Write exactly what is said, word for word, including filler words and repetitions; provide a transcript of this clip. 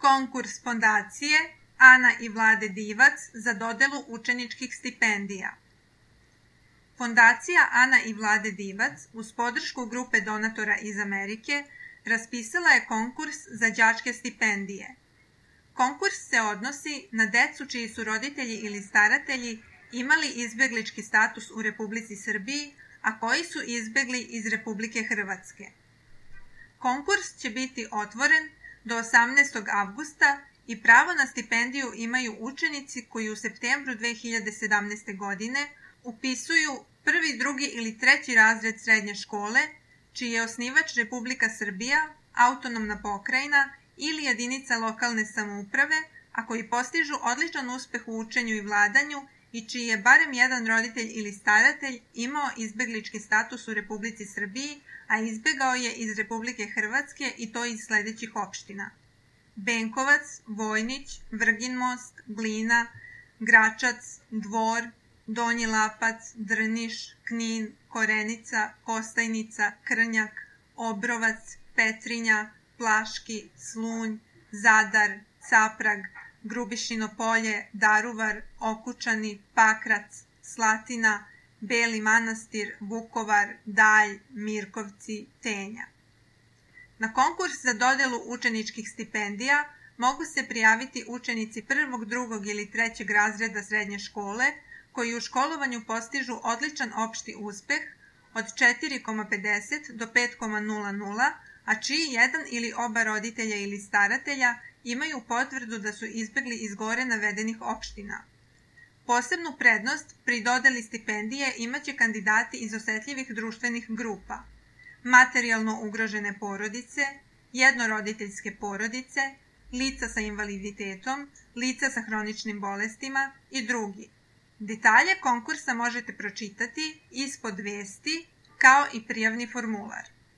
konkurs fondacije Ana i Vlade Divac za dodelu učeničkih stipendija. Fondacija Ana i Vlade Divac uz podršku grupe donatora iz Amerike raspisala je konkurs za đačke stipendije. Konkurs se odnosi na decu čiji su roditelji ili staratelji imali izbeglički status u Republici Srbiji, a koji su izbegli iz Republike Hrvatske. Konkurs će biti otvoren do osamnaestog avgusta i pravo na stipendiju imaju učenici koji u septembru dve hiljade sedamnaeste. godine upisuju prvi, drugi ili treći razred srednje škole, čiji je osnivač Republika Srbija, autonomna pokrajina ili jedinica lokalne samouprave, a koji postižu odličan uspeh u učenju i vladanju i čiji je barem jedan roditelj ili staratelj imao izbeglički status u Republici Srbiji, a izbegao je iz Republike Hrvatske i to iz sledećih opština: Benkovac, Vojnić, Vrgin Most, Glina, Gračac, Dvor, Donji Lapac, Drniš, Knin, Korenica, Kostajnica, Krnjak, Obrovac, Petrinja, Plaški, Slunj, Zadar, Caprag, Grubišino Polje, Daruvar, Okučani, Pakrac, Slatina, Beli Manastir, Vukovar, Dalj, Mirkovci, Tenja. Na konkurs za dodelu učeničkih stipendija mogu se prijaviti učenici prvog, drugog ili trećeg razreda srednje škole koji u školovanju postižu odličan opšti uspeh od četiri zarez pedeset do pet zarez nula nula, a čiji jedan ili oba roditelja ili staratelja imaju potvrdu da su izbegli iz gore navedenih opština. Posebnu prednost pri dodeli stipendije imaće kandidati iz osetljivih društvenih grupa: materijalno ugrožene porodice, jednoroditeljske porodice, lica sa invaliditetom, lica sa hroničnim bolestima i drugi. Detalje konkursa možete pročitati ispod vesti, kao i prijavni formular.